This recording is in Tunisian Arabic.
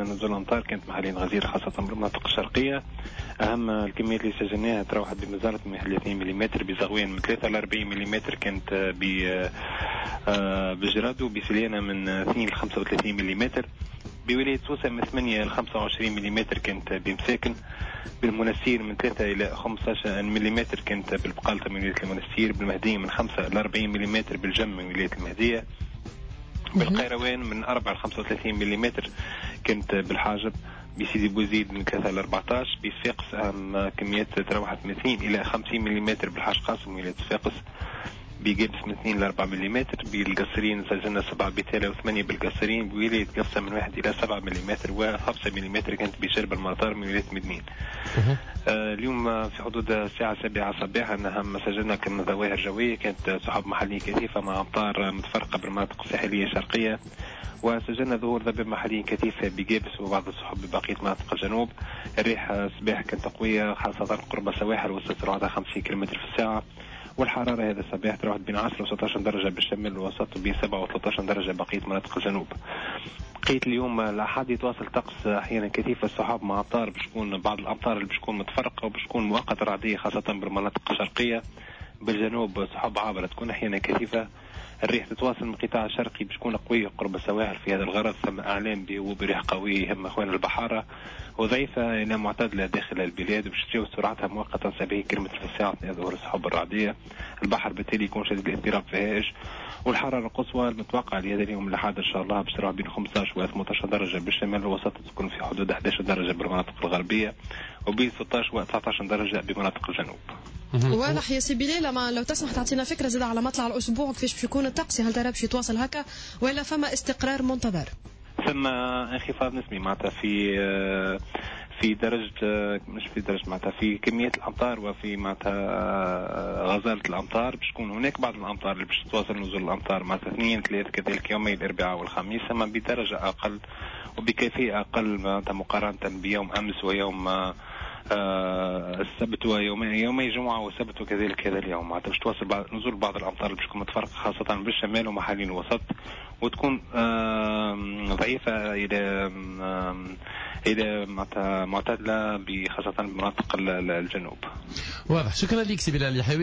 نزول الامطار كانت محليا غزيرة خاصة بالمناطق الشرقية. اهم الكميات اللي سجلناها تراوحت بمزارة من 2 ملم، بزغوان من 3 ل 40 ملم، كانت بجرادو، بسليانه من 2 ل 35 ملم، بولاية سوسة من 8 ل 25 ملم كانت بمساكن، بالمنستير من 3 إلى 15 ملم كانت بالبقالة من ولاية المنستير، بالمهدية من 5 إلى 40 ملم بالجم من ولاية المهدية، بالقيروان من 4 ل 35 ملم كانت بالحاجب، بسيدي بوزيد من 3 ل 14، بصفاقس أهم كميات تراوحت من 2 إلى 50 ملم بالحاج قاسم ولاية صفاقس، بقابس من 2 ل 4 ملم، بالقصرين سجلنا 7 بتالة و8 بالقصرين، بولاية قفصة من 1 إلى 7 ملم و5 ملم كانت بشرب المطار من ولاية مدنين. اليوم في حدود الساعة 7 صباحا أهم سجلنا كان ظواهر جوية، كانت سحب محلية كثيفة مع أمطار متفرقة بالمناطق الساحلية الشرقية، وسجلنا ظهور ضباب محلي كثيف بقابس وبعض السحب ببقية مناطق الجنوب. الريح الصباح كانت قوية خاصة قرب السواحل وصلت سرعتها 50 كم في الساعة، والحرارة هذا الصباح تراوحت بين 10 و 16 درجة بالشمال الوسط وبين 7 و 13 درجة بقية مناطق الجنوب. بقية اليوم الأحد يتواصل طقس أحيانا كثيف السحاب مع أمطار، باش تكون بعض الأمطار اللي باش تكون متفرقة وباش تكون مؤقتة رعدية خاصة بالمناطق الشرقية. بالجنوب سحب عابرة تكون أحيانا كثيفة. الريح تتواصل من القطاع الشرقي باش تكون قوية قرب السواحل في هذا الغرض، ثم أعلام بريح قوية يهم أخوان البحارة، وضعيفة إلى معتدلة داخل البلاد باش تجاوز سرعتها مؤقتا 70 كم في الساعة أثناء ظهور السحب الرعدية. البحر بالتالي يكون شديد الاضطراب في هائج، والحرارة القصوى المتوقعة لهذا اليوم الأحد إن شاء الله باش تروح بين 15 و 18 درجة بالشمال الوسط، تكون في حدود 11 درجة بالمناطق الغربية، وبين 16 و 19 درجة بمناطق الجنوب. واضح يا سي بلال، لما لو تسمح تعطينا فكرة زاد على مطلع الأسبوع كيفاش باش يكون الطقس، هل ترى باش يتواصل هكا ولا فما استقرار منتظر؟ ثم انخفاض نسبي معناتها في درجة، مش في درجة معناتها في كمية الأمطار وفي معناتها غزالة الأمطار. باش تكون هناك بعض الأمطار اللي باش تواصل نزول الأمطار معناتها 2 3 كذلك يومي الأربعاء والخميس، أما بدرجة أقل وبكيفية أقل معناتها مقارنة بيوم أمس ويوم السبت ويومي جمعة وسبت وكذلك هذا اليوم. معناتها باش تواصل نزول بعض الأمطار اللي باش تكون متفرقة خاصة بالشمال ومحلين الوسط، وتكون ضعيفة إلى معتدلة خاصة بمناطق الجنوب. واضح، شكرا لك سي بلال اليحيوي.